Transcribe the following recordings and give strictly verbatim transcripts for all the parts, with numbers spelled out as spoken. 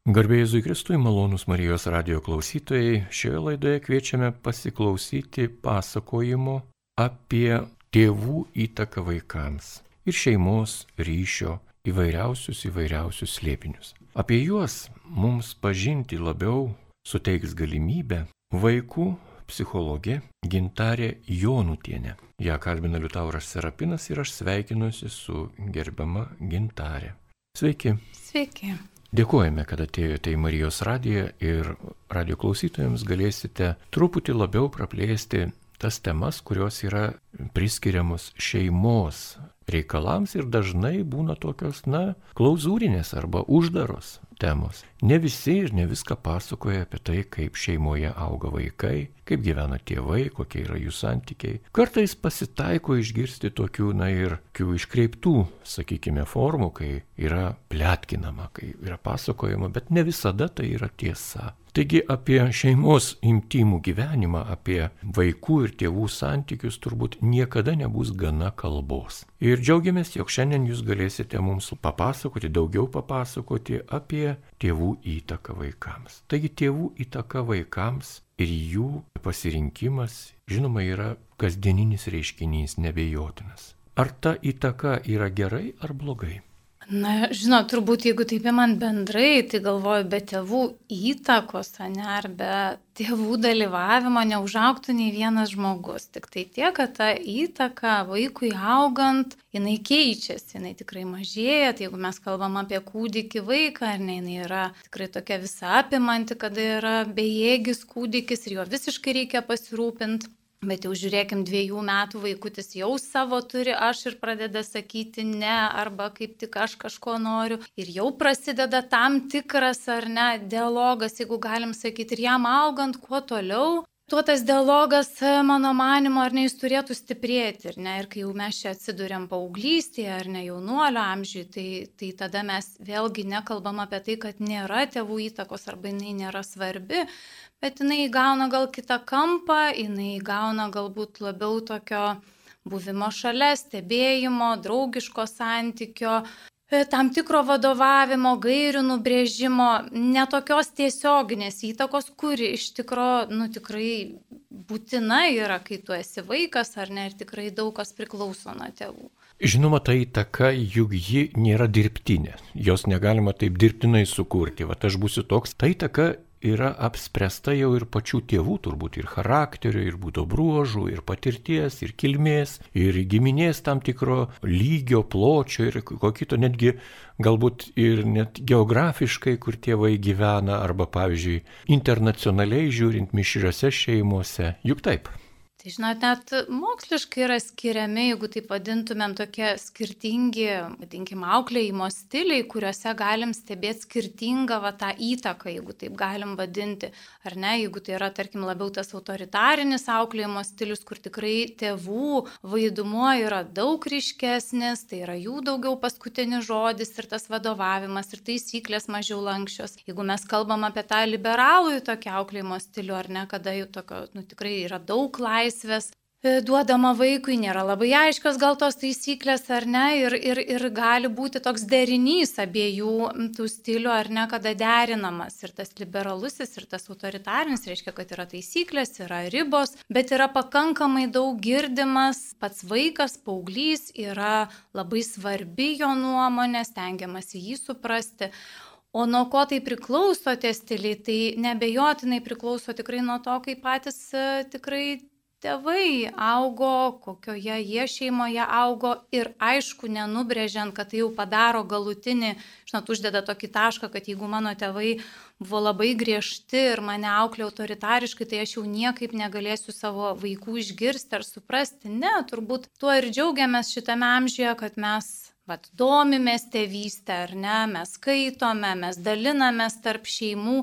Garbė Jėzui Kristui, malonūs Marijos radijo klausytojai, šioje laidoje kviečiame pasiklausyti pasakojimo apie tėvų įtaką vaikams ir šeimos ryšio įvairiausius įvairiausius slėpinius. Apie juos mums pažinti labiau suteiks galimybę vaikų psichologė Gintarė Jonutienė. Ja kalbina Liutauras Serapinas ir aš sveikinuosi su gerbiama Gintarė. Sveiki. Sveiki. Dėkojame, kad atėjote į Marijos radiją ir radijo klausytojams galėsite truputį labiau praplėsti tas temas, kurios yra priskiriamos šeimos reikalams ir dažnai būna tokios, na, klauzūrinės arba uždaros temos. Ne visi ir ne viską pasakoja apie tai, kaip šeimoje auga vaikai, kaip gyvena tėvai, kokie yra jų santykiai. Kartais pasitaiko išgirsti tokių, na ir tokių iškreiptų, sakykime, formų, kai yra pletkinama, kai yra pasakojama, bet ne visada tai yra tiesa. Taigi apie šeimos intymų gyvenimą, apie vaikų ir tėvų santykius turbūt niekada nebus gana kalbos. Ir džiaugiamės, jog šiandien jūs galėsite mums papasakoti, daugiau papasakoti apie tėvų įtaką vaikams. Taigi tėvų įtaka vaikams ir jų pasirinkimas, žinoma, yra kasdieninis reiškinys, neabejotinas. Ar ta įtaka yra gerai ar blogai? Na, žinot, turbūt jeigu taip man bendrai, tai galvoju, be tėvų įtakos, ne, ar be tėvų dalyvavimo neužaugtų nei vienas žmogus. Tik tai tiek, kad ta įtaka vaikui augant, jinai keičiasi, jinai tikrai mažėja. Tai jeigu mes kalbam apie kūdikį vaiką, ar ne, jinai yra tikrai tokia visa apimanti, kada yra bejėgis kūdikis ir jo visiškai reikia pasirūpinti. Bet jau žiūrėkim, dviejų metų vaikutis jau savo turi aš ir pradeda sakyti ne, arba kaip tik aš kažko noriu. Ir jau prasideda tam tikras ar ne dialogas, jeigu galim sakyti, ir jam augant kuo toliau, tuo tas dialogas, mano manimo, ar ne, jis turėtų stiprėti. Ir, ne, ir kai jau mes čia atsiduriam paauglystėje ar ne jaunuolio amžiui, tai, tai tada mes vėlgi nekalbam apie tai, kad nėra tėvų įtakos arba jinai nėra svarbi. Bet jinai įgauna gal kitą kampą, jinai įgauna galbūt labiau tokio buvimo šalia, stebėjimo, draugiško santykio, tam tikro vadovavimo, gairių nubrėžimo, netokios tiesioginės įtakos, kuri iš tikro, nu, tikrai būtina yra, kai tu esi vaikas, ar ne, ir tikrai daug kas priklauso nuo tėvų. Žinoma, ta įtaka, juk ji nėra dirbtinė, jos negalima taip dirbtinai sukurti, va aš būsiu toks, ta įtaka yra apspręsta jau ir pačių tėvų, turbūt ir charakterio, ir būdo bruožų, ir patirties, ir kilmės, ir giminės tam tikro lygio, pločio, ir ko kito, netgi galbūt ir net geografiškai, kur tėvai gyvena, arba, pavyzdžiui, internacionaliai žiūrint mišriose šeimose. Juk taip. Tai žinot, net moksliškai yra skiriami, jeigu taip vadintumėm, tokie skirtingi, vadinkim, auklėjimo stiliai, kuriuose galim stebėti skirtingą va, tą įtaką, jeigu taip galim vadinti. Ar ne, jeigu tai yra, tarkim, labiau tas autoritarinis auklėjimo stilius, kur tikrai tėvų vaidumuo yra daug ryškesnis, tai yra jų daugiau paskutinis žodis ir tas vadovavimas ir taisyklės mažiau lankščios. Jeigu mes kalbam apie tą liberalų tokį auklėjimo stilių, ar ne, kada jau tokio, nu, tikrai yra daug laisvės, duodama vaikui, nėra labai aiškios gal tos taisyklės, ar ne, ir, ir, ir gali būti toks derinys abiejų tų stilių, ar ne, kada derinamas. Ir tas liberalusis, ir tas autoritarinis reiškia, kad yra taisyklės, yra ribos, bet yra pakankamai daug girdimas, pats vaikas, paauglys, yra labai svarbi jo nuomonė, stengiamasi jį suprasti. O nuo ko tai priklauso tie stiliai, tai neabejotinai priklauso tikrai nuo to, kaip patys tikrai tėvai augo, kokioje jie šeimoje augo ir aišku, nenubrėžiant, kad tai jau padaro galutinį, žinot, uždeda tokį tašką, kad jeigu mano tėvai buvo labai griežti ir mane auklė autoritariškai, tai aš jau niekaip negalėsiu savo vaikų išgirsti ar suprasti. Ne, turbūt tuo ir džiaugiamės šitame amžiuje, kad mes vat, domimės tėvystę, ar ne, mes skaitome, mes dalinamės tarp šeimų.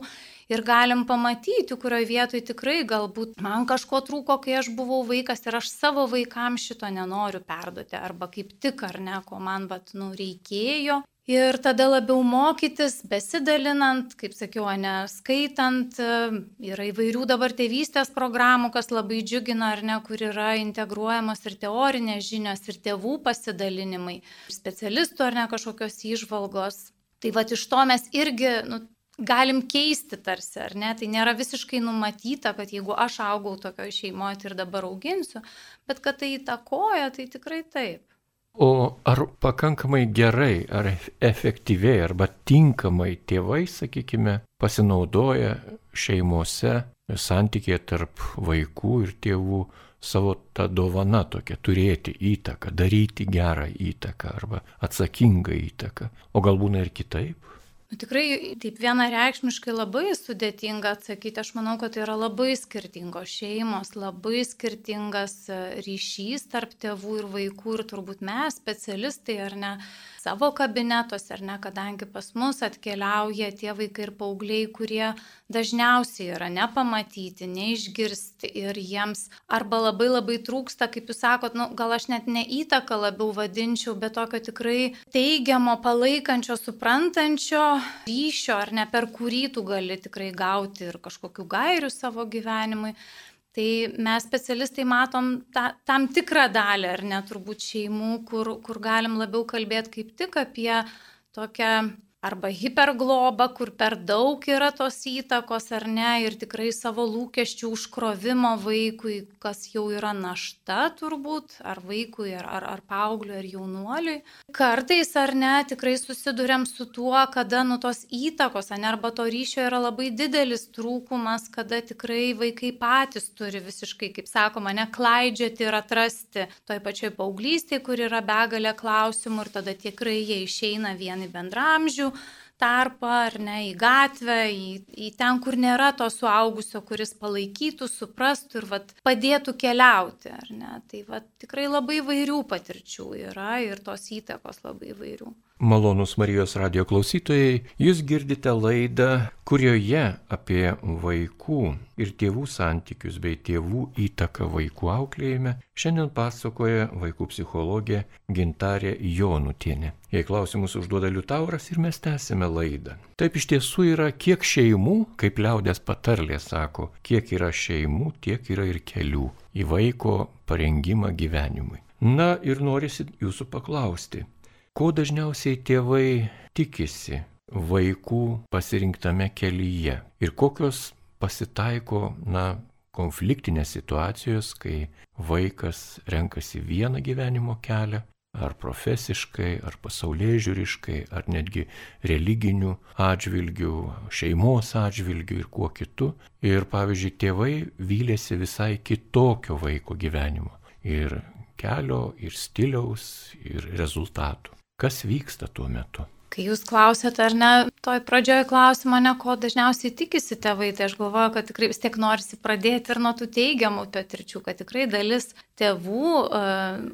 Ir galim pamatyti, kurioje vietoje tikrai galbūt man kažko trūko, kai aš buvau vaikas ir aš savo vaikams šito nenoriu perduoti. Arba kaip tik, ar ne, ko man vat, nu, reikėjo. Ir tada labiau mokytis, besidalinant, kaip sakiau, ne, skaitant, yra įvairių dabar tėvystės programų, kas labai džiugina, ar ne, kur yra integruojamos ir teorinės žinios, ir tėvų pasidalinimai, specialistų, ar ne, kažkokios įžvalgos. Tai va iš to mes irgi, nu, galim keisti tarsi, ar ne? Tai nėra visiškai numatyta, kad jeigu aš augau tokioje šeimoje, tai ir dabar auginsiu, bet kad tai įtakoja, tai tikrai taip. O ar pakankamai gerai, ar efektyviai, arba tinkamai tėvai, sakykime, pasinaudoja šeimose santykėje tarp vaikų ir tėvų savo tą dovaną tokią, turėti įtaką, daryti gerą įtaką arba atsakingą įtaką, o gal būna ir kitaip? Nu, tikrai taip vienareikšmiškai labai sudėtinga atsakyti. Aš manau, kad tai yra labai skirtingos šeimos, labai skirtingas ryšys tarp tėvų ir vaikų ir turbūt mes, specialistai ar ne, savo kabinetuose, ar ne, kadangi pas mus atkeliauja tie vaikai ir paaugliai, kurie dažniausiai yra nepamatyti, neišgirsti ir jiems arba labai labai trūksta, kaip jūs sakot, nu, gal aš net ne įtaką labiau vadinčiau, bet tokio tikrai teigiamo, palaikančio, suprantančio ryšio, ar ne, per kurį tu gali tikrai gauti ir kažkokių gairių savo gyvenimui. Tai mes specialistai matom ta, tam tikrą dalį, ar ne, turbūt šeimų, kur, kur galim labiau kalbėti kaip tik apie tokią arba hiperglobą, kur per daug yra tos įtakos, ar ne, ir tikrai savo lūkesčių užkrovimo vaikui, kas jau yra našta turbūt, ar vaikui, ar, ar, ar paaugliui, ar jaunuoliui. Kartais, ar ne, tikrai susiduriam su tuo, kada nu tos įtakos, ar ne, arba to ryšio yra labai didelis trūkumas, kada tikrai vaikai patys turi visiškai, kaip sakoma, ne, klaidžioti ir atrasti toj pačioj paauglystėje, kur yra begalė klausimų ir tada tikrai jie išeina vieni bendramžių tarpą, ar ne, į gatvę, į, į ten, kur nėra to suaugusio, kuris palaikytų, suprastų ir vat, padėtų keliauti, ar ne. Tai vat, tikrai labai įvairių patirčių yra ir tos įtakos labai įvairių. Malonūs Marijos radijo klausytojai, jūs girdite laidą, kurioje apie vaikų ir tėvų santykius bei tėvų įtaką vaikų auklėjime šiandien pasakoja vaikų psichologė Gintarė Jonutienė. Jei klausimus užduoda Liutauras ir mes tęsime laidą. Taip iš tiesų yra, kiek šeimų, kaip liaudės patarlė sako, kiek yra šeimų, tiek yra ir kelių į vaiko parengimą gyvenimui. Na ir norisi jūsų paklausti. Ko dažniausiai tėvai tikisi vaikų pasirinktame kelyje ir kokios pasitaiko, na, konfliktinės situacijos, kai vaikas renkasi vieną gyvenimo kelią, ar profesiškai, ar pasaulėžiūriškai, ar netgi religinių atžvilgių, šeimos atžvilgių ir kuo kitu. Ir pavyzdžiui, tėvai vylėsi visai kitokio vaiko gyvenimo ir kelio, ir stiliaus, ir rezultatų. Kas vyksta tuo metu? Kai jūs klausėt, ar ne, toj pradžioje klausimo, ne, ko dažniausiai tikisi tėvai, tai aš galvoju, kad tikrai vis tiek norisi pradėti ir nuo tų teigiamų patirčių, kad tikrai dalis tėvų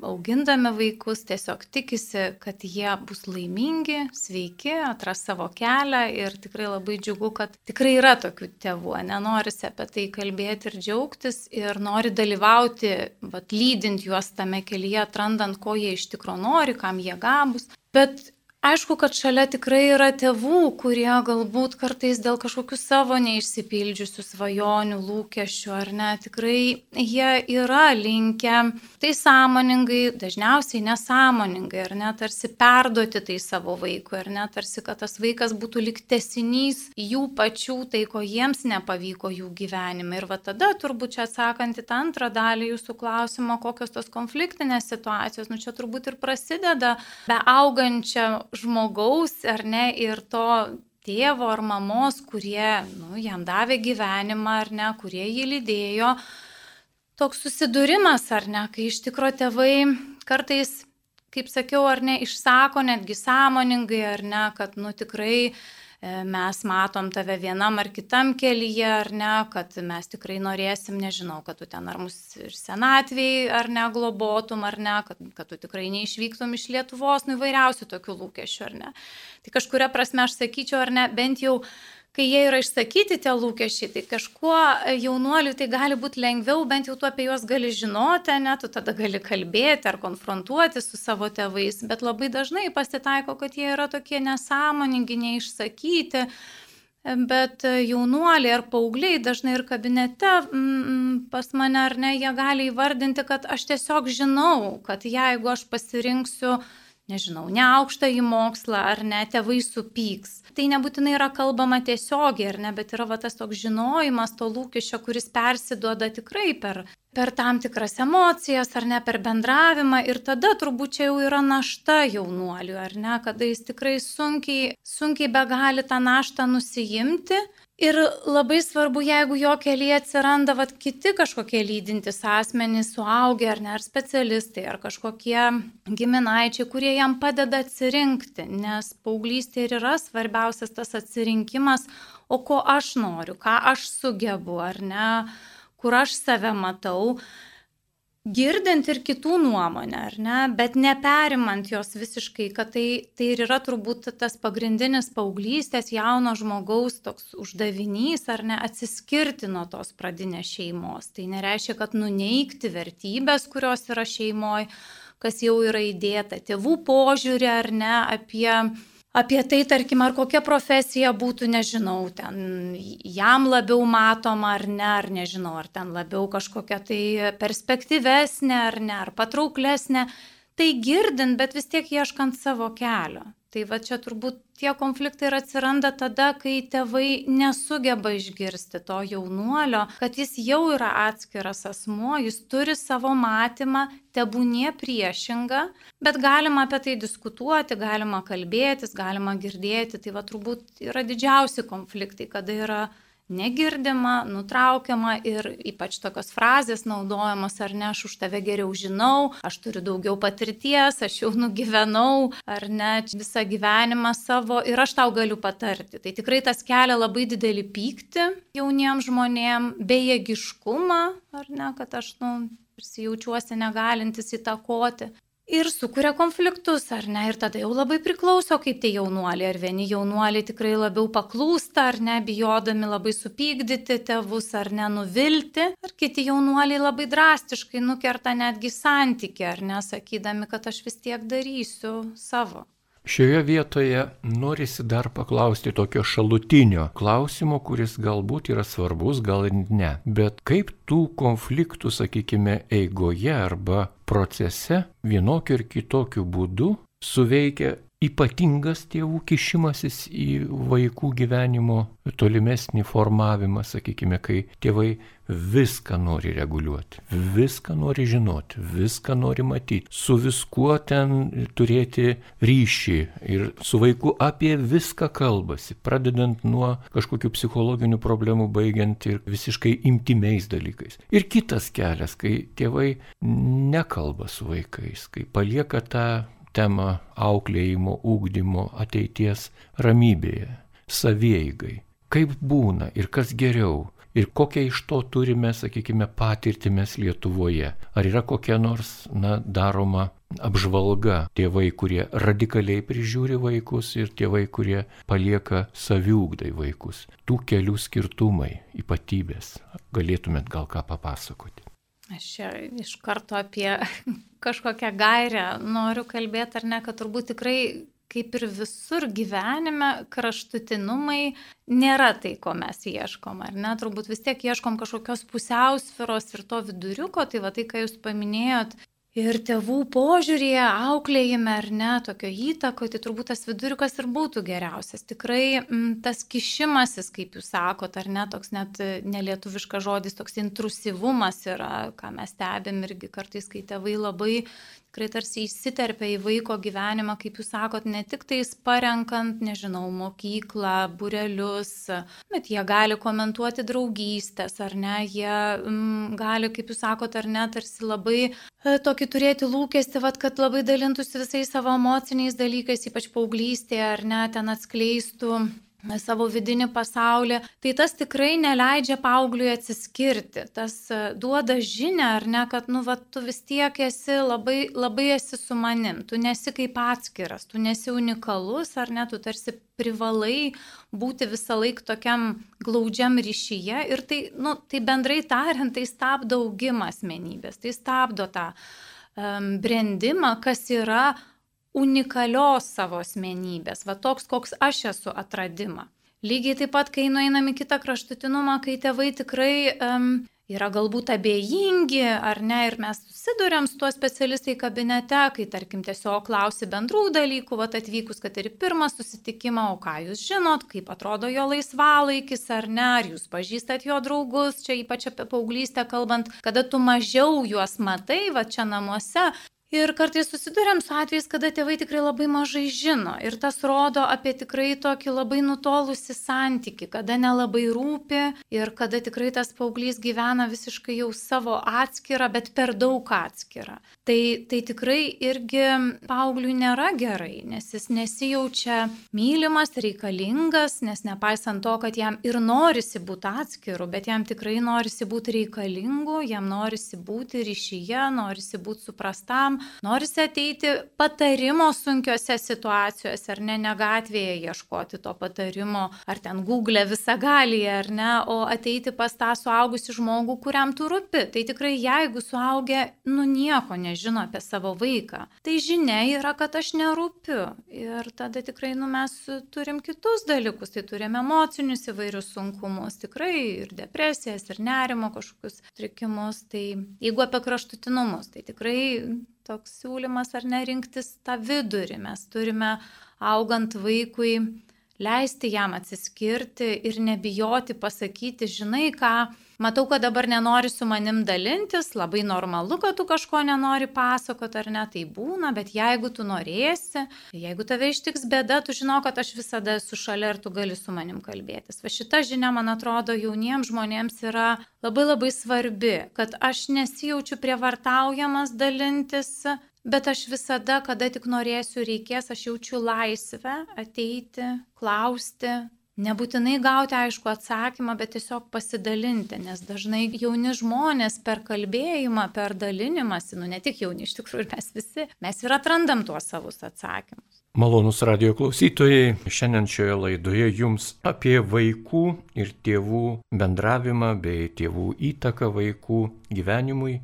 augindami vaikus tiesiog tikisi, kad jie bus laimingi, sveiki, atras savo kelią ir tikrai labai džiugu, kad tikrai yra tokių tėvų, nenorisi apie tai kalbėti ir džiaugtis ir nori dalyvauti, vat, lydint juos tame kelyje, atrandant, ko jie iš tikro nori, kam jie gabūs. Bet aišku, kad šalia tikrai yra tėvų, kurie galbūt kartais dėl kažkokių savo neišsipildžiusių svajonių, lūkesčių, ar ne, tikrai jie yra linkę tai sąmoningai, dažniausiai nesąmoningai, ar ne, tarsi perduoti tai savo vaikui, ar ne, tarsi, kad tas vaikas būtų lyg tęsinys jų pačių, tai ko jiems nepavyko jų gyvenime. Ir va tada turbūt čia atsakant į tą antrą dalį jūsų klausimo, kokios tos konfliktinės situacijos, nu čia turbūt ir prasideda be augančio žmogaus, ar ne, ir to tėvo ar mamos, kurie, nu, jam davė gyvenimą, ar ne, kurie jį lydėjo. Toks susidūrimas, ar ne, kai iš tikro tėvai kartais, kaip sakiau, ar ne, išsako netgi sąmoningai, ar ne, kad, nu, tikrai mes matom tave vienam ar kitam kelyje, ar ne, kad mes tikrai norėsim, nežinau, kad tu ten ar mus ir senatvėj, ar ne, globotum, ar ne, kad, kad tu tikrai neišvyktum iš Lietuvos, nu įvairiausių tokių lūkesčių, ar ne. Tai kažkuria prasme aš sakyčiau, ar ne, bent jau, kai jie yra išsakyti tie lūkesčiai, tai kažkuo jaunuoliui tai gali būti lengviau, bent jau tu apie juos gali žinoti, ne, tu tada gali kalbėti ar konfrontuoti su savo tėvais, bet labai dažnai pasitaiko, kad jie yra tokie nesąmoningi, neišsakyti, bet jaunuoliai ar paaugliai dažnai ir kabinete mm, pas mane, ar ne, jie gali įvardinti, kad aš tiesiog žinau, kad jeigu aš pasirinksiu nežinau, ne aukštą į mokslą, ar ne, tėvai supyks. Tai nebūtinai yra kalbama tiesiogiai, ar ne, bet yra va, tas toks žinojimas to lūkesčio, kuris persiduoda tikrai per, per tam tikras emocijas, ar ne, per bendravimą. Ir tada turbūt čia jau yra našta jaunuoliui, ar ne, kada jis tikrai sunkiai, sunkiai be gali tą naštą nusijimti. Ir labai svarbu, jeigu jo kelyje atsiranda vat, kiti kažkokie lydintys asmenys, suaugę ar ne, ar specialistai, ar kažkokie giminaičiai, kurie jam padeda atsirinkti, nes paauglystė ir yra svarbiausias tas atsirinkimas, o ko aš noriu, ką aš sugebu, ar ne, kur aš save matau. Girdint ir kitų nuomonę, ar ne, bet neperimant jos visiškai, kad tai, tai ir yra turbūt tas pagrindinis paauglystės jauno žmogaus toks uždavinys, ar ne, atsiskirti nuo tos pradinės šeimos. Tai nereiškia, kad nuneigti vertybės, kurios yra šeimoje, kas jau yra įdėta, tėvų požiūrį, ar ne, apie... Apie tai, tarkim, ar kokia profesija būtų, nežinau, ten jam labiau matoma ar ne, ar nežinau, ar ten labiau kažkokia tai perspektyvesnė ar ne, ar patrauklesnė. Tai girdint, bet vis tiek ieškant savo kelio. Tai va čia turbūt tie konfliktai ir atsiranda tada, kai tėvai nesugeba išgirsti to jaunuolio, kad jis jau yra atskiras asmuo, jis turi savo matymą, tebūnie priešingą, bet galima apie tai diskutuoti, galima kalbėtis, galima girdėti. Tai va turbūt yra didžiausi konfliktai, kada yra negirdima, nutraukiama ir ypač tokios frazės naudojamos, ar ne, aš už tave geriau žinau, aš turiu daugiau patirties, aš jau nugyvenau, ar ne, visą gyvenimą savo ir aš tau galiu patarti. Tai tikrai tas kelia labai didelį pyktį jauniems žmonėm, bejėgiškumą, ar ne, kad aš, nu, jaučiuosi negalintis įtakoti. Ir sukuria konfliktus, ar ne, ir tada jau labai priklauso, kaip tie jaunuoliai, ar vieni jaunuoliai tikrai labiau paklūsta, ar ne, bijodami labai supykdyti tėvus, ar ne, nuvilti, ar kiti jaunuoliai labai drastiškai nukerta netgi santykį, ar ne, sakydami, kad aš vis tiek darysiu savo. Šioje vietoje norisi dar paklausti tokio šalutinio klausimo, kuris galbūt yra svarbus, gal ir ne. Bet kaip tų konfliktų, sakykime, eigoje arba procese vienokiu ir kitokiu būdu suveikia ypatingas tėvų kišimasis į vaikų gyvenimo tolimesnį formavimą, sakykime, kai tėvai viską nori reguliuoti, viską nori žinoti, viską nori matyti, su viskuo ten turėti ryšį ir su vaiku apie viską kalbasi, pradedant nuo kažkokių psichologinių problemų, baigiant ir visiškai intymiais dalykais. Ir kitas kelias, kai tėvai nekalba su vaikais, kai palieka tą temą auklėjimo, ugdymo, ateities ramybėje, savieigai. Kaip būna ir kas geriau ir kokią iš to turime, sakykime, patirtį mes Lietuvoje. Ar yra kokia nors, na, daroma apžvalga tėvai, kurie radikaliai prižiūri vaikus ir tėvai, kurie palieka saviugdai vaikus. Tų kelių skirtumai, ypatybės. Galėtumėt gal ką papasakoti? Aš čia iš karto apie kažkokią gairę noriu kalbėti, ar ne, kad turbūt tikrai, kaip ir visur gyvenime, kraštutinumai nėra tai, ko mes ieškom, ar ne? Turbūt vis tiek ieškom kažkokios pusiausvyros ir to viduriuko, tai va tai, ką jūs paminėjot, ir tėvų požiūrėje, auklėjime, ar ne, tokio įtako, tai turbūt tas viduriukas ir būtų geriausias. Tikrai m, tas kišimasis, kaip jūs sakot, ar ne, toks net nelietuviškas žodis, toks intrusyvumas yra, ką mes stebim irgi kartais, kai tėvai labai tikrai tarsi įsiterpia į vaiko gyvenimą, kaip jūs sakot, ne tik tais parenkant, nežinau, mokyklą, būrelius, bet jie gali komentuoti draugystės, ar ne, jie m, gali, kaip jūs sakot, ar ne, tarsi labai e, tokį turėti lūkestį, vat, kad labai dalintųsi visais savo emociniais dalykais, ypač paauglystėje, ar ne, ten atskleistų savo vidinį pasaulį, tai tas tikrai neleidžia paaugliui atsiskirti. Tas duoda žinią, ar ne, kad, nu, va, tu vis tiek esi labai, labai esi su manim, tu nesi kaip atskiras, tu nesi unikalus, ar ne, tu tarsi privalai būti visą laiką tokiam glaudžiam ryšyje ir tai, nu, tai bendrai tariant, tai stabdo augimą asmenybės, tai stabdo tą um, brendimą, kas yra unikalios savo asmenybės, va toks, koks aš esu atradimą. Lygiai taip pat, kai nueinam į kitą kraštutinumą, kai tėvai tikrai um, yra galbūt abejingi, ar ne, ir mes susiduriam su tuo specialistai kabinete, kai, tarkim, tiesiog klausi bendrų dalykų, vat atvykus, kad ir pirmą susitikimą, o ką jūs žinot, kaip atrodo jo laisvalaikis, ar ne, ar jūs pažįstat jo draugus, čia ypač apie paauglystę kalbant, kada tu mažiau juos matai, va čia namuose. Ir kartais susiduriam su atvejais, kada tėvai tikrai labai mažai žino. Ir tas rodo apie tikrai tokį labai nutolusį santykį, kada nelabai rūpi ir kada tikrai tas paauglys gyvena visiškai jau savo atskirą, bet per daug atskirą. Tai, tai tikrai irgi paaugliui nėra gerai, nes jis nesijaučia mylimas, reikalingas, nes nepaisant to, kad jam ir norisi būti atskiru, bet jam tikrai norisi būti reikalingu, jam norisi būti ryšyje, norisi būti suprastam, norisi ateiti patarimo sunkiose situacijose, ar ne, ne gatvėje ieškoti to patarimo, ar ten Google visagalyje, ar ne, o ateiti pas tą suaugusį žmogų, kuriam tu rūpi. Tai tikrai jeigu suaugę, nu nieko nežino apie savo vaiką, tai žinia yra, kad aš nerūpiu. Ir tada tikrai, nu mes turim kitus dalykus, tai turim emocinius įvairius sunkumus, tikrai ir depresijas, ir nerimo kažkokius trikimus. Tai jeigu apie kraštutinumus, tai tikrai toks siūlymas ar nerinktis tą vidurį. Mes turime augant vaikui leisti jam atsiskirti ir nebijoti pasakyti, žinai ką, matau, kad dabar nenori su manim dalintis, labai normalu, kad tu kažko nenori pasakoti ar ne, tai būna, bet jeigu tu norėsi, jeigu tave ištiks bėda, tu žinau, kad aš visada esu šalia ir tu gali su manim kalbėtis. Va šita žinia, man atrodo, jauniems žmonėms yra labai labai svarbi, kad aš nesijaučiu prievartaujamas dalintis, bet aš visada, kada tik norėsiu, reikės, aš jaučiu laisvę ateiti, klausti, nebūtinai gauti aišku atsakymą, bet tiesiog pasidalinti, nes dažnai jauni žmonės per kalbėjimą, per dalinimąsi, nu ne tik jauni, iš tikrųjų mes visi, mes ir atrandam tuos savus atsakymus. Malonūs radijo klausytojai, šiandien šioje laidoje jums apie vaikų ir tėvų bendravimą bei tėvų įtaką vaikų gyvenimui,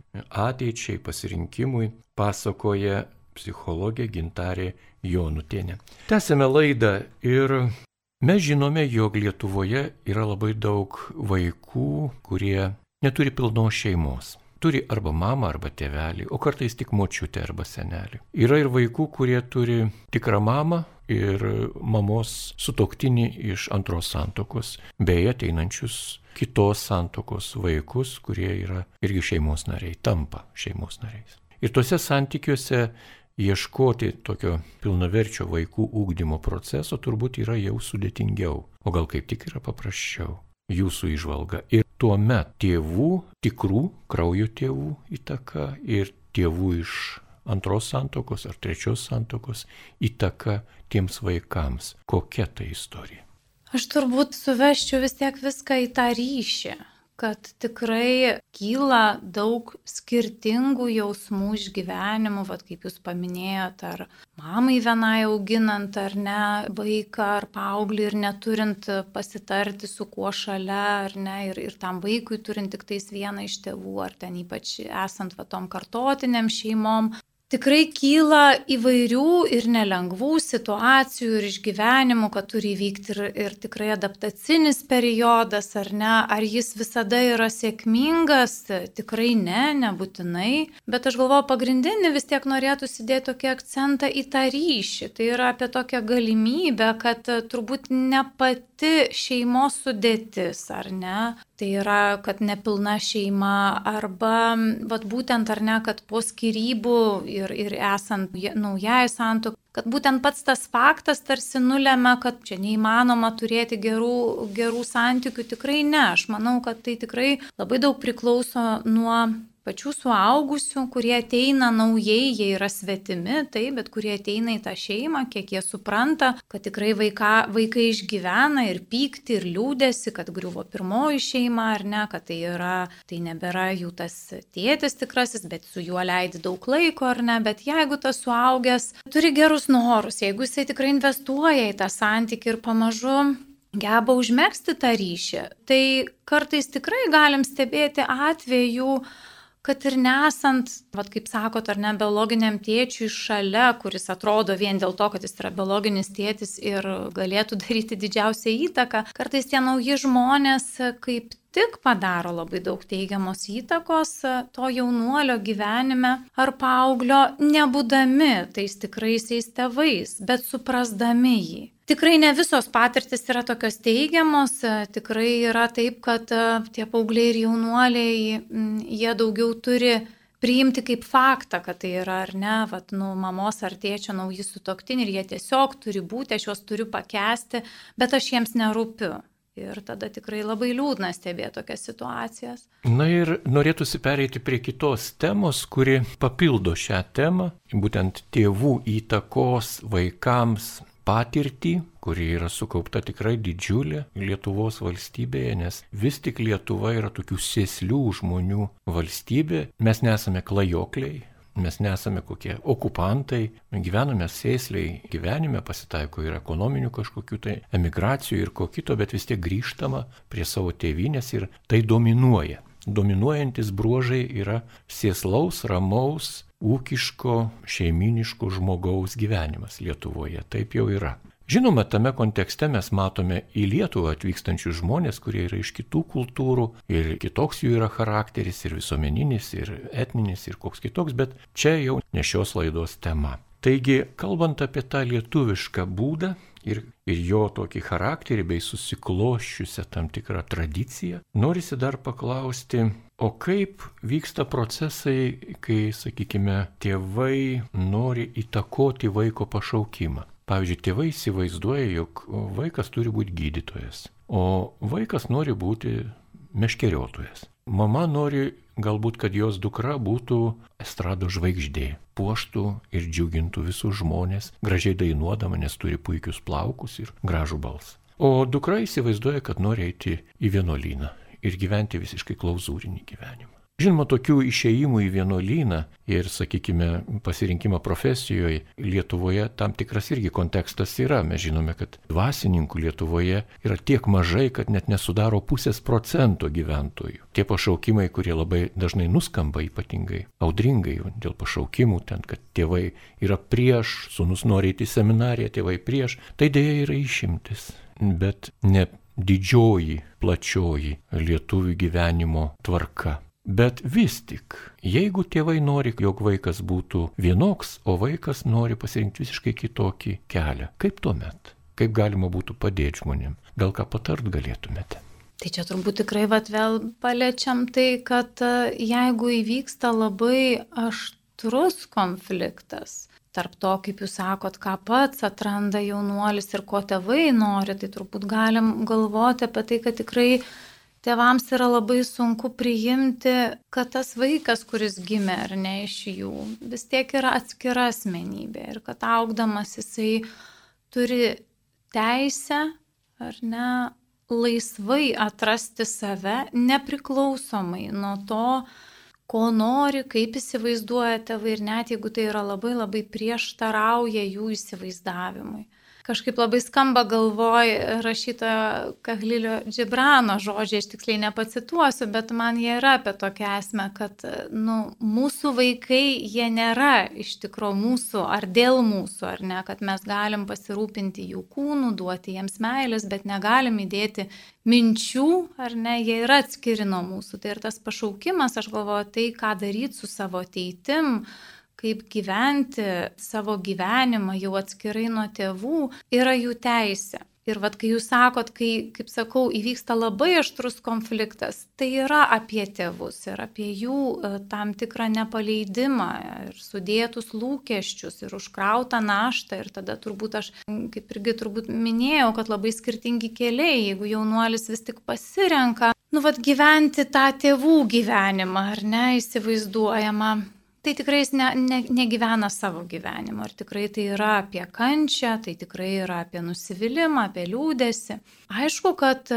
ateičiai, pasirinkimui pasakoja psichologė Gintarė Jonutienė. Tęsime laidą ir mes žinome, jog Lietuvoje yra labai daug vaikų, kurie neturi pilnos šeimos. Turi arba mamą, arba tėvelį, o kartais tik močiutę arba senelį. Yra ir vaikų, kurie turi tikrą mamą ir mamos sutuoktinį iš antros santuokos, bei ateinančius kitos santuokos vaikus, kurie yra irgi šeimos nariai, tampa šeimos nariais. Ir tuose santykiuose ieškoti tokio pilnaverčio vaikų ugdymo proceso turbūt yra jau sudėtingiau, o gal kaip tik yra paprasčiau. Jūsų įžvalga. Ir tuomet tėvų, tikrų kraujo tėvų įtaka ir tėvų iš antros santuokos ar trečios santuokos įtaka tiems vaikams. Kokia ta istorija? Aš turbūt suvesčiau vis tiek viską į tą ryšį, kad tikrai kyla daug skirtingų jausmų išgyvenimų, vat kaip jūs paminėjot, ar mamai vienai auginant, ar ne, vaiką, ar paauglį ir neturint pasitarti su kuo šalia, ar ne, ir, ir tam vaikui turint tik tais vieną iš tėvų, ar ten ypač esant va tom kartotiniam šeimom. Tikrai kyla įvairių ir nelengvų situacijų ir išgyvenimų, kad turi įvykti ir, ir tikrai adaptacinis periodas, ar ne, ar jis visada yra sėkmingas, tikrai ne, nebūtinai, bet aš galvoju, pagrindinį vis tiek norėtų įdėti tokį akcentą į tą ryšį, tai yra apie tokią galimybę, kad turbūt ne pati šeimos sudėtis, ar ne, tai yra, kad nepilna šeima arba vat, būtent ar ne, kad po skyrybų ir, ir esant naujai santuokai, kad būtent pats tas faktas tarsi nulėmė, kad čia neįmanoma turėti gerų, gerų santykių, tikrai ne. Aš manau, kad tai tikrai labai daug priklauso nuo pačių suaugusių, kurie ateina naujai, jie yra svetimi, tai, bet kurie ateina į tą šeimą, kiek jie supranta, kad tikrai vaika, vaikai išgyvena ir pykti, ir liūdėsi, kad griuvo pirmoji šeima, ar ne, kad tai, yra, tai nebėra jų tas tėtis tikrasis, bet su juo leidi daug laiko, ar ne, bet jeigu tas suaugęs turi gerus norus, jeigu jisai tikrai investuoja į tą santykį ir pamažu geba užmegzti tą ryšį, tai kartais tikrai galim stebėti atvejų, kad ir nesant, vat, kaip sakot, ar ne, biologiniam tėčiui šalia, kuris atrodo vien dėl to, kad jis yra biologinis tėtis ir galėtų daryti didžiausią įtaką, kartais tie nauji žmonės kaip tik padaro labai daug teigiamos įtakos to jaunuolio gyvenime ar paauglio, nebūdami tais tikraisiais tėvais, bet suprasdami jį. Tikrai ne visos patirtis yra tokios teigiamos, tikrai yra taip, kad tie paaugliai ir jaunuoliai, jie daugiau turi priimti kaip faktą, kad tai yra ar ne, vat, nu, mamos ar tėčio nauji sutuoktiniai ir jie tiesiog turi būti, aš juos turiu pakęsti, bet aš jiems nerūpiu. Ir tada tikrai labai liūdna stebėti tokias situacijas. Na ir norėtųsi pereiti prie kitos temos, kuri papildo šią temą, būtent tėvų įtakos vaikams patirtį, kuri yra sukaupta tikrai didžiulė Lietuvos valstybėje, nes vis tik Lietuva yra tokių sėslių žmonių valstybė. Mes nesame klajokliai, mes nesame kokie okupantai, gyvename sėsliai gyvenime, pasitaiko ir ekonominių kažkokių tai emigracijų ir ko kito, bet vis tiek grįžtama prie savo tėvynės ir tai dominuoja. Dominuojantis bruožai yra sėslaus, ramaus, ūkiško, šeiminiško žmogaus gyvenimas Lietuvoje. Taip jau yra. Žinoma, tame kontekste mes matome į Lietuvą atvykstančius žmonės, kurie yra iš kitų kultūrų ir kitoks jų yra charakteris, ir visuomeninis, ir etninis, ir koks kitoks, bet čia jau ne šios laidos tema. Taigi, kalbant apie tą lietuvišką būdą ir, ir jo tokį charakterį bei susikloščiusią tam tikrą tradiciją, norisi dar paklausti, o kaip vyksta procesai, kai, sakykime, tėvai nori įtakoti vaiko pašaukimą. Pavyzdžiui, tėvai įsivaizduoja, jog vaikas turi būti gydytojas, o vaikas nori būti meškeriotojas. Mama nori galbūt, kad jos dukra būtų estrado žvaigždė, puoštų ir džiugintų visus žmonės, gražiai dainuodama, nes turi puikius plaukus ir gražų balsą. O dukra įsivaizduoja, kad nori eiti į vienuolyną ir gyventi visiškai klauzūrinį gyvenimą. Žinoma, tokių išėjimų į vienuolyną ir, sakykime, pasirinkimą profesijoje Lietuvoje tam tikras irgi kontekstas yra. Mes žinome, kad dvasininkų Lietuvoje yra tiek mažai, kad net nesudaro pusės procento gyventojų. Tie pašaukimai, kurie labai dažnai nuskamba ypatingai audringai dėl pašaukimų, ten, kad tėvai yra prieš, sūnus nori eiti į seminariją, tėvai prieš, tai dėja yra išimtis. Bet ne didžioji, plačioji lietuvių gyvenimo tvarka. Bet vis tik, jeigu tėvai nori, jog vaikas būtų vienoks, o vaikas nori pasirinkti visiškai kitokį kelią, kaip tuomet? Kaip galima būtų padėti žmonėm? Gal ką patart galėtumėte? Tai čia turbūt tikrai vat vėl paliečiam tai, kad jeigu įvyksta labai aštrus konfliktas tarp to, kaip jūs sakot, ką pats atranda jaunuolis ir ko tėvai nori, tai turbūt galim galvoti apie tai, kad tikrai tėvams yra labai sunku priimti, kad tas vaikas, kuris gimė ar ne iš jų, vis tiek yra atskira asmenybė ir kad augdamas jisai turi teisę ar ne laisvai atrasti save, nepriklausomai nuo to, ko nori, kaip įsivaizduoja tėvai ir net jeigu tai yra labai labai prieštarauja jų įsivaizdavimui. Kažkaip labai skamba galvoj rašytojo Kahlilio Džibrano žodžiai, aš tiksliai nepacituosiu, bet man jie yra apie tokią esmę, kad nu, mūsų vaikai, jie nėra iš tikro mūsų ar dėl mūsų, ar ne, kad mes galim pasirūpinti jų kūnų, duoti jiems meilės, bet negalim įdėti minčių, ar ne, jie yra atskiri nuo mūsų. Tai ir tas pašaukimas, aš galvoju, tai ką daryti su savo ateitim, kaip gyventi savo gyvenimą jau atskirai nuo tėvų, yra jų teisė. Ir vat, kai jūs sakot, kai, kaip sakau, įvyksta labai aštrus konfliktas, tai yra apie tėvus ir apie jų tam tikrą nepaleidimą ir sudėtus lūkesčius ir užkrautą naštą. Ir tada turbūt aš, kaip irgi turbūt minėjau, kad labai skirtingi keliai, jeigu jaunuolis vis tik pasirenka, nu vat gyventi tą tėvų gyvenimą, ar ne, įsivaizduojama. Tai tikrai jis ne, ne, negyvena savo gyvenimo ir tikrai tai yra apie kančią, tai tikrai yra apie nusivylimą, apie liūdesį. Aišku, kad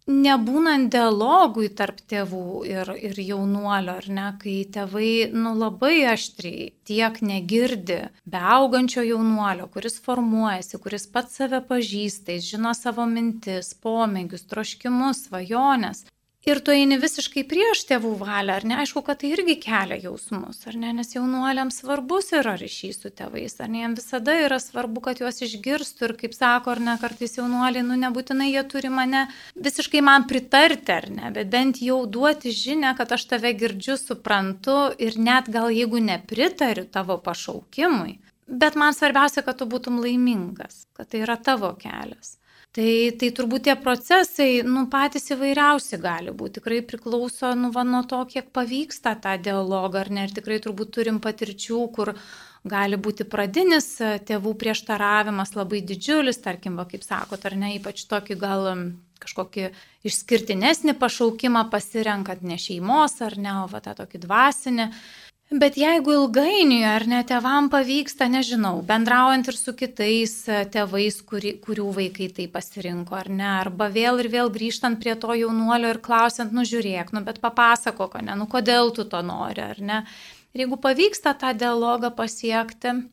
nebūnant dialogui tarp tėvų ir, ir jaunuolio, ar ne, kai tėvai nu, labai aštriai tiek negirdi beaugančio jaunuolio, kuris formuojasi, kuris pats save pažįsta, jis žino savo mintis, pomėgius, troškimus, svajones. ir tu eini visiškai prieš tėvų valią, ar ne? Aišku, kad tai irgi kelia jausmus, ar ne? Nes jaunuoliams svarbus yra ryšys su tėvais, ar ne? Jiems visada yra svarbu, kad juos išgirstų ir, kaip sako, ar ne, kartais jaunuoliai, nu nebūtinai jie turi mane visiškai man pritarti, ar ne? Bet bent jau duoti žinią, kad aš tave girdžiu, suprantu ir net gal jeigu nepritariu tavo pašaukimui, bet man svarbiausia, kad tu būtum laimingas, kad tai yra tavo kelias. Tai, tai turbūt tie procesai, nu, patys įvairiausi gali būti, tikrai priklauso, nu, va, nuo to, kiek pavyksta tą dialogą, ar ne, ir tikrai turbūt turim patirčių, kur gali būti pradinis tėvų prieštaravimas labai didžiulis, tarkim, va, kaip sakot, ar ne, ypač tokį gal kažkokį išskirtinesnį pašaukimą pasirenkant ne šeimos, ar ne, o va, tą tokį dvasinį. Bet jeigu ilgainiui, ar ne, tėvam pavyksta, nežinau, bendraujant ir su kitais tėvais, kuri, kurių vaikai tai pasirinko, ar ne, arba vėl ir vėl grįžtant prie to jaunuolio ir klausiant, nu žiūrėk, nu bet papasakok, ne, nu kodėl tu to nori, ar ne. Ir jeigu pavyksta tą dialogą pasiekti,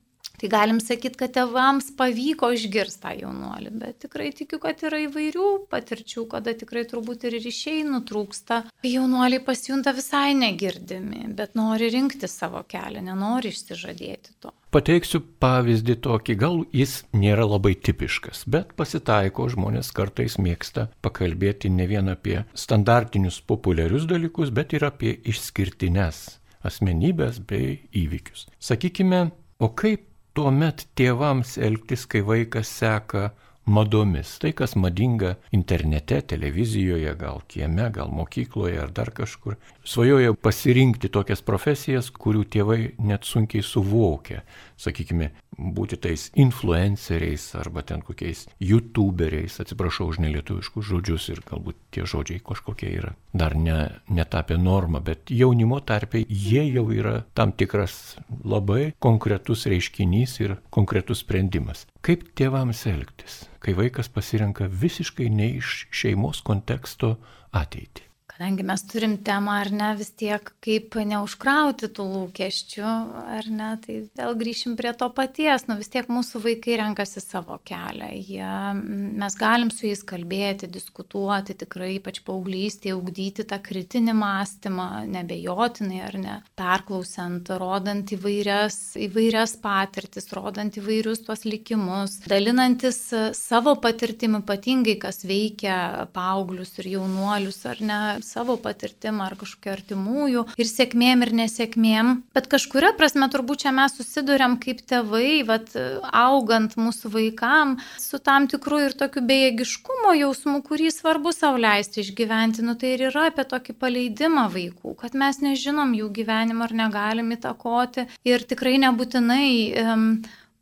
tai galim sakyti, kad tėvams pavyko išgirsti tą jaunuolį, bet tikrai tikiu, kad yra įvairių patirčių, kada tikrai turbūt ir ryšiai nutrūksta. Jaunuoliai pasijunta visai negirdimi, bet nori rinkti savo kelią, nenori išsižadėti to. Pateiksiu pavyzdį tokį, gal jis nėra labai tipiškas, bet pasitaiko, žmonės kartais mėgsta pakalbėti ne vien apie standartinius populiarius dalykus, bet ir apie išskirtines asmenybės bei įvykius. Sakykime, o kaip tuomet tėvams elgtis, kai vaikas seka madomis? Tai, kas madinga internete, televizijoje, gal kieme, gal mokykloje ar dar kažkur. Svajoja pasirinkti tokias profesijas, kurių tėvai net sunkiai suvokia. Sakykime, būti tais influenceriais arba ten kokiais youtuberiais, atsiprašau už nelietuviškus žodžius ir galbūt tie žodžiai kažkokie yra dar ne, netapę normą, bet jaunimo tarpe jie jau yra tam tikras labai konkretus reiškinys ir konkretus sprendimas. Kaip tėvams elgtis, kai vaikas pasirenka visiškai ne iš šeimos konteksto ateitį? Kadangi mes turim temą, ar ne, vis tiek kaip neužkrauti tų lūkesčių, ar ne, tai vėl grįšim prie to paties, nu vis tiek mūsų vaikai renkasi savo kelią, jie, mes galim su jais kalbėti, diskutuoti, tikrai ypač paauglystėje, ugdyti tą kritinį mąstymą, nebejotinai, ar ne, perklausiant, rodant įvairias, įvairias patirtis, rodant įvairius tuos likimus, dalinantis savo patirtimi, ypatingai kas veikia paauglius ir jaunuolius, ar ne, savo patirtim ar kažkokiu artimųjų ir sėkmėm ir nesėkmėm, bet kažkuria prasme turbūt čia mes susiduriam kaip tėvai, vat, augant mūsų vaikam, su tam tikru ir tokiu bejėgiškumo jausmu, kurį svarbu sau leisti išgyventi, nu tai ir yra apie tokį paleidimą vaikų, kad mes nežinom jų gyvenimą ar negalim įtakoti ir tikrai nebūtinai um,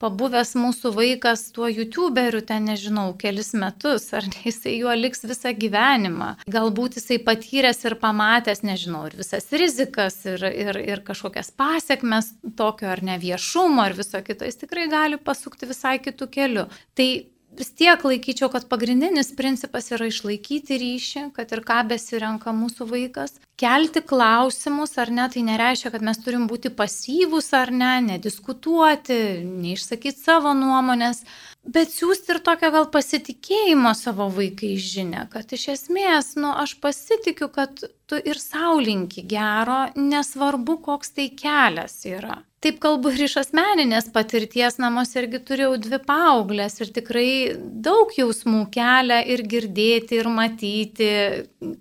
pabuvęs mūsų vaikas tuo youtuberiu ten, nežinau, kelis metus, ar ne, jisai juo liks visą gyvenimą. Galbūt jisai patyręs ir pamatęs, nežinau, ir visas rizikas, ir, ir, ir kažkokias pasiekmes tokio ar ne viešumo, ir viso kito, jis tikrai gali pasukti visai kitų kelių. Tai vis tiek laikyčiau, kad pagrindinis principas yra išlaikyti ryšį, kad ir ką besirenka mūsų vaikas, kelti klausimus, ar ne, tai nereiškia, kad mes turim būti pasyvūs ar ne, nediskutuoti, neišsakyti savo nuomonės, bet siūsti ir tokią gal pasitikėjimo savo vaikai žinią, kad iš esmės, nu, aš pasitikiu, kad tu ir sau linki gero, nesvarbu, koks tai kelias yra. Taip kalbu ir iš asmeninės patirties, namuose irgi turėjau dvi paauglės ir tikrai daug jausmų kelia ir girdėti, ir matyti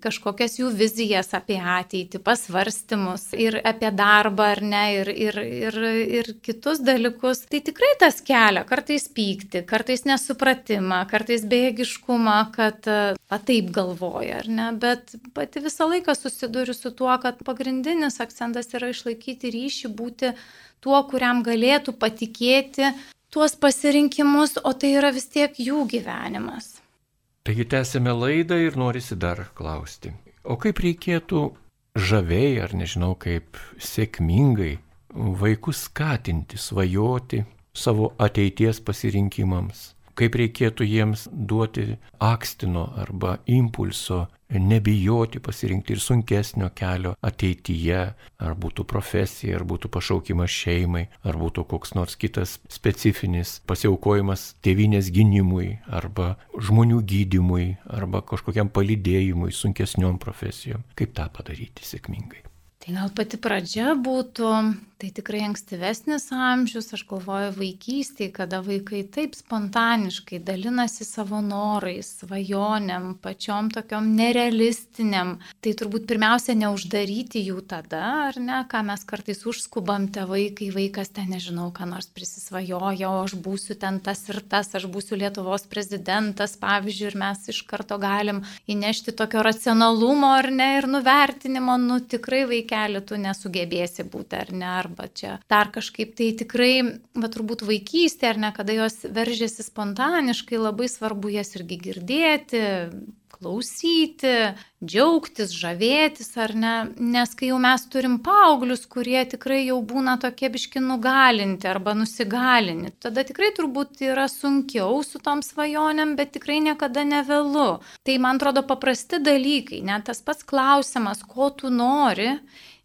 kažkokias jų vizijas apie ateitį, pasvarstymus ir apie darbą ar ne, ir, ir, ir, ir kitus dalykus. Tai tikrai tas kelia, kartais pykti, kartais nesupratimą, kartais bejėgiškumą, kad va taip galvoja, ar ne, bet pati visą laiką susiduriu su tuo, kad pagrindinis akcentas yra išlaikyti ryšį, būti tuo, kuriam galėtų patikėti tuos pasirinkimus, o tai yra vis tiek jų gyvenimas. Taigi tęsime laidą ir norisi dar klausti. O kaip reikėtų žaviai, ar nežinau, kaip sėkmingai vaikus skatinti, svajoti savo ateities pasirinkimams, kaip reikėtų jiems duoti akstino arba impulso, nebijoti pasirinkti ir sunkesnio kelio ateityje, ar būtų profesija, ar būtų pašaukimas šeimai, ar būtų koks nors kitas specifinis pasiaukojimas tėvynės gynimui, arba žmonių gydymui, arba kažkokiam palydėjimui, sunkesniom profesijom. Kaip tą padaryti sėkmingai? Tai gal pati pradžia būtų, tai tikrai ankstyvesnis amžius, aš galvoju vaikystėje, kada vaikai taip spontaniškai dalinasi savo norais, svajonėm, pačiom tokiom nerealistiniam. Tai turbūt pirmiausia neuždaryti jų tada, ar ne, ką mes kartais užskubam tėvai, kai vaikas ten, nežinau, ką nors prisisvajoja, o aš būsiu ten tas ir tas, aš būsiu Lietuvos prezidentas, pavyzdžiui, ir mes iš karto galim įnešti tokio racionalumo, ar ne, ir nuvertinimo, nu tikrai vaikai keliu tu nesugebėsi būti, ar ne, arba čia dar kažkaip. Tai tikrai, va turbūt vaikystė, ar ne, kada jos veržiasi spontaniškai, labai svarbu jas irgi girdėti, klausyti, džiaugtis, žavėtis, ar ne, nes kai jau mes turim paauglius, kurie tikrai jau būna tokie biški nugalinti arba nusigalinti, tada tikrai turbūt yra sunkiau su tom svajonėm, bet tikrai niekada nevėlu. Tai man atrodo paprasti dalykai, net tas pats klausimas, ko tu nori,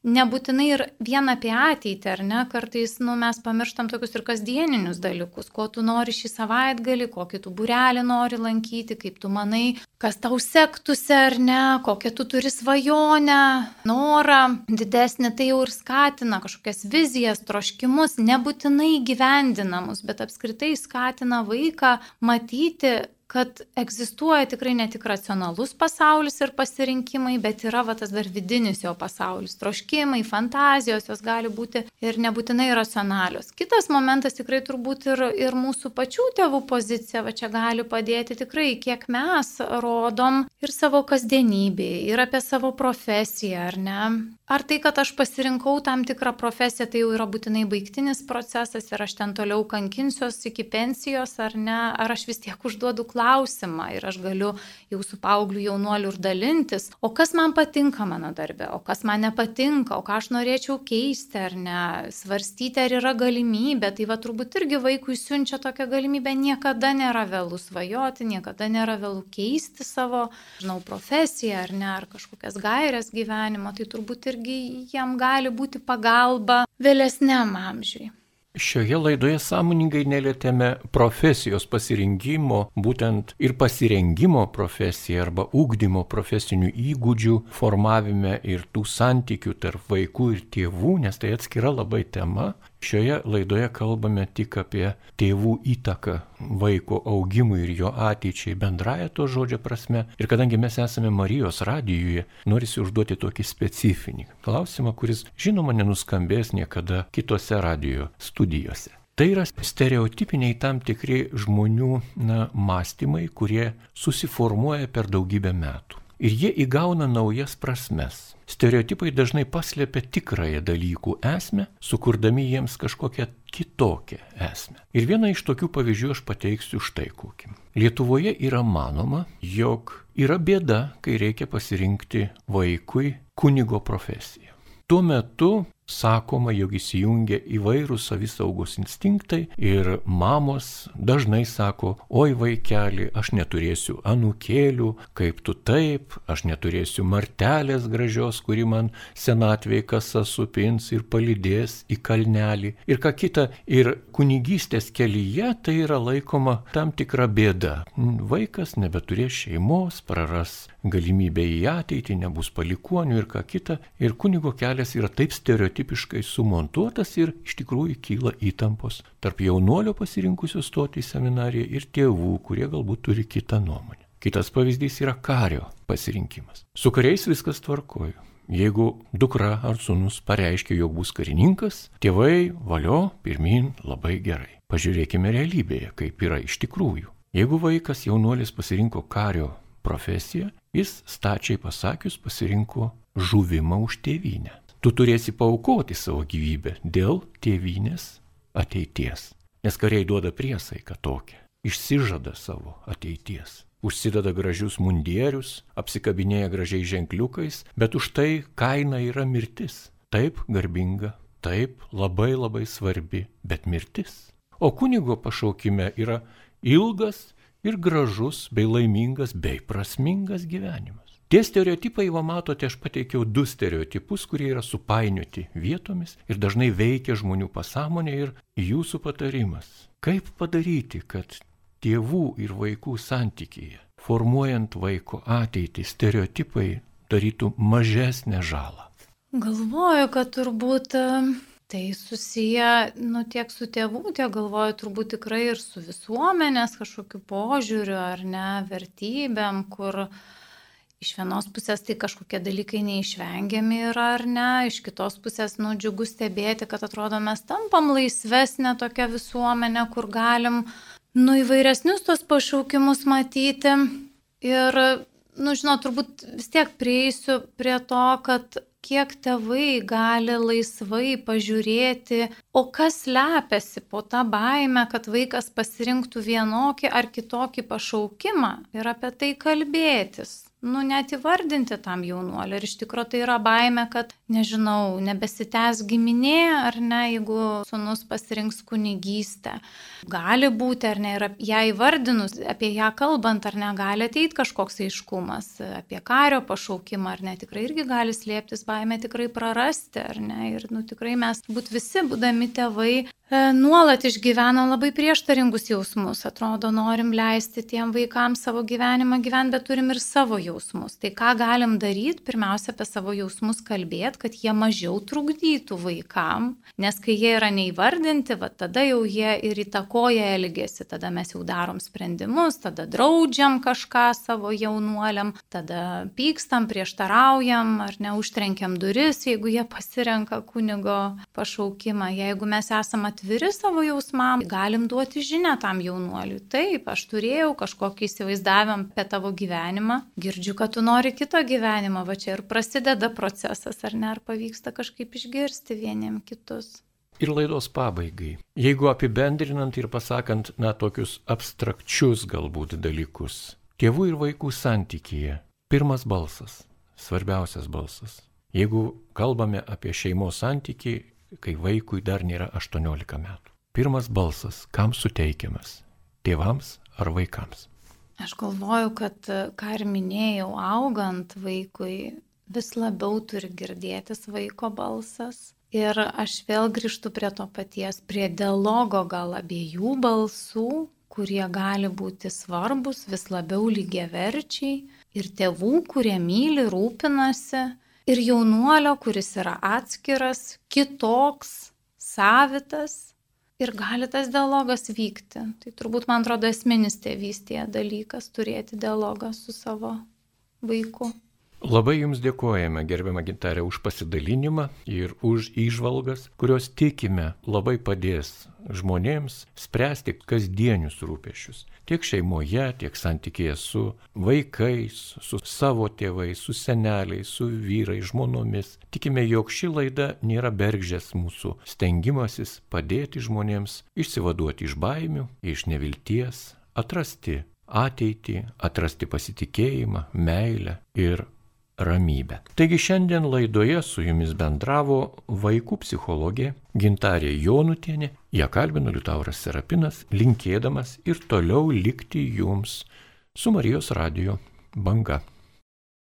nebūtinai ir vien apie ateitį, ar ne, kartais nu, mes pamirštam tokius ir kasdieninius dalykus, ko tu nori šį savaitgalį, kokį tu būrelį nori lankyti, kaip tu manai, kas tau sektųsi, ar ne, kokią tu turi svajonę, norą didesnį, tai jau ir skatina kažkokias vizijas, troškimus, nebūtinai gyvendinamus, bet apskritai skatina vaiką matyti, kad egzistuoja tikrai ne tik racionalus pasaulis ir pasirinkimai, bet yra va, tas dar vidinis jo pasaulis, troškimai, fantazijos, jos gali būti ir nebūtinai racionalios. Kitas momentas tikrai turbūt ir, ir mūsų pačių tėvų pozicija, va čia gali padėti tikrai, kiek mes rodom ir savo kasdienybėje, ir apie savo profesiją, ar ne. Ar tai, kad aš pasirinkau tam tikrą profesiją, tai jau yra būtinai baigtinis procesas ir aš ten toliau kankinsiuos iki pensijos, ar ne, ar aš vis tiek užduodu klausimą ir aš galiu jau su paaugliu jaunuoliu ir dalintis, o kas man patinka mano darbe, o kas man nepatinka, o ką aš norėčiau keisti, ar ne, svarstyti, ar yra galimybė, tai va turbūt irgi vaikui siunčia tokią galimybę, niekada nėra vėlų svajoti, niekada nėra vėlų keisti savo, žinau, profesiją, ar ne, ar kažkokias gairias gyvenimo, tai turbūt irgi jam gali būti pagalba vėlesniam amžiui. Šioje laidoje sąmoningai nelietėme profesijos pasirinkimo, būtent ir pasirengimo profesijai arba ugdymo profesinių įgūdžių formavime ir tų santykių tarp vaikų ir tėvų, nes tai atskira labai tema. Šioje laidoje kalbame tik apie tėvų įtaką vaiko augimui ir jo ateičiai bendraja to žodžio prasme. Ir kadangi mes esame Marijos radijuje, norisi užduoti tokį specifinį klausimą, kuris žinoma nenuskambės niekada kitose radijo studijose. Tai yra stereotipiniai tam tikri žmonių na, mąstymai, kurie susiformuoja per daugybę metų. Ir jie įgauna naujas prasmes. Stereotipai dažnai paslėpia tikrąją dalykų esmę, sukurdami jiems kažkokią kitokią esmę. Ir vieną iš tokių pavyzdžių aš pateiksiu štai kokį. Lietuvoje yra manoma, jog yra bėda, kai reikia pasirinkti vaikui kunigo profesiją. Tuo metu sakoma, jog įsijungia įvairūs savisaugos instinktai ir mamos dažnai sako, oi vaikeli, aš neturėsiu anūkėlių, kaip tu taip, aš neturėsiu martelės gražios, kuri man senatvėje kasa supins ir palydės į kalnelį. Ir ką kita, ir kunigystės kelyje tai yra laikoma tam tikra bėda. Vaikas nebeturės šeimos, praras galimybę į ateitį, nebus palikuonių ir ką kita. Ir kunigo kelias yra taip stereotipiškai sumontuotas ir iš tikrųjų kyla įtampos tarp jaunuolio pasirinkusio stoti į seminariją ir tėvų, kurie galbūt turi kitą nuomonę. Kitas pavyzdys yra kario pasirinkimas. Su kariais viskas tvarkoju. Jeigu dukra ar sūnus pareiškia, jog bus karininkas, tėvai valio pirmin labai gerai. Pažiūrėkime realybėje, kaip yra iš tikrųjų. Jeigu vaikas jaunuolis pasirinko kario profesiją, jis stačiai pasakius pasirinko žuvimą už tėvynę. Tu turėsi paaukoti savo gyvybę dėl tėvynės ateities. Nes kariai duoda priesaiką tokią, išsižada savo ateities. Užsideda gražius mundierius, apsikabinėja gražiai ženkliukais, bet už tai kaina yra mirtis. Taip garbinga, taip labai labai svarbi, bet mirtis. O kunigo pašaukime yra ilgas ir gražus, bei laimingas, bei prasmingas gyvenimas. Tie stereotipai, va matote, aš pateikiau du stereotipus, kurie yra supainioti vietomis ir dažnai veikia žmonių pasąmonę. Ir jūsų patarimas, kaip padaryti, kad tėvų ir vaikų santykyje, formuojant vaiko ateitį, stereotipai darytų mažesnę žalą. Galvoju, kad turbūt tai susiję, nu, tiek su tėvų, tiek galvoju turbūt tikrai ir su visuomenės kažkokiu požiūriu ar ne, vertybėm, kur iš vienos pusės tai kažkokie dalykai neišvengiami yra ar ne, iš kitos pusės, nu, džiugu stebėti, kad atrodo mes tampam laisvesnė tokia visuomenė, kur galim, nu, įvairesnius tos pašaukimus matyti. Ir, nu, žinot, turbūt vis tiek prieisiu prie to, kad kiek tėvai gali laisvai pažiūrėti, o kas slepiasi po tą baimę, kad vaikas pasirinktų vienokį ar kitokį pašaukimą ir apie tai kalbėtis. Nu, net įvardinti tam jaunuoliu. Ir iš tikrųjų tai yra baimė, kad, nežinau, nebesitęs giminė, ar ne, jeigu sūnus pasirinks kunigystę. Gali būti, ar ne, ir ją įvardinus, apie ją kalbant, ar ne, gali ateiti kažkoks aiškumas, apie kario pašaukimą, ar ne, tikrai irgi gali slėptis baimė tikrai prarasti, ar ne. Ir, nu, tikrai mes, būt visi, būdami tėvai, nuolat išgyvena labai prieštaringus jausmus. Atrodo, norim leisti tiem vaikams savo gyvenimą gyventi, bet turim ir savo jausmus. Tai ką galim daryti? Pirmiausia, apie savo jausmus kalbėti, kad jie mažiau trukdytų vaikam, nes kai jie yra neįvardinti, va, tada jau jie ir įtakoja elgesį, tada mes jau darom sprendimus, tada draudžiam kažką savo jaunuoliam, tada pykstam, prieštaraujam, ar ne, užtrenkiam duris, jeigu jie pasirenka kunigo pašaukimą. Jeigu mes esame atviri savo jausmam, galim duoti žinią tam jaunuoliui. Taip, aš turėjau kažkokį įsivaizdavimą apie tavo gyvenimą, girdžiu, kad tu nori kito gyvenimo, va čia ir prasideda procesas, ar ne, ar pavyksta kažkaip išgirsti vieniem kitus. Ir laidos pabaigai, jeigu apibendrinant ir pasakant, na, tokius abstrakčius galbūt dalykus, tėvų ir vaikų santykyje, pirmas balsas, svarbiausias balsas. Jeigu kalbame apie šeimos santykį, kai vaikui dar nėra aštuoniolika metų. Pirmas balsas, kam suteikiamas? Tėvams ar vaikams? Aš galvoju, kad, ką ir minėjau, augant vaikui, vis labiau turi girdėtis vaiko balsas. Ir aš vėl grįžtu prie to paties, prie dialogo gal abiejų balsų, kurie gali būti svarbus, vis labiau lygiaverčiai. Ir tėvų, kurie myli, rūpinasi. Ir jaunuolio, kuris yra atskiras, kitoks, savitas ir gali tas dialogas vykti. Tai turbūt, man atrodo, esminis tėvystėje dalykas turėti dialogą su savo vaiku. Labai Jums dėkojame, gerbiama Gintarė, už pasidalinimą ir už įžvalgas, kurios tikime labai padės žmonėms spręsti kasdienius rūpesčius. Tiek šeimoje, tiek santykėje su vaikais, su savo tėvais, su seneliais, su vyrais, žmonomis. Tikime, jog ši laida nėra bergždžias mūsų stengimasis padėti žmonėms išsivaduoti iš baimių, iš nevilties, atrasti ateitį, atrasti pasitikėjimą, meilę ir ramybę. Taigi šiandien laidoje su Jumis bendravo vaikų psichologė Gintarė Jonutienė, ją kalbino Liutauras Serapinas, linkėdamas ir toliau likti Jums su Marijos radijo banga.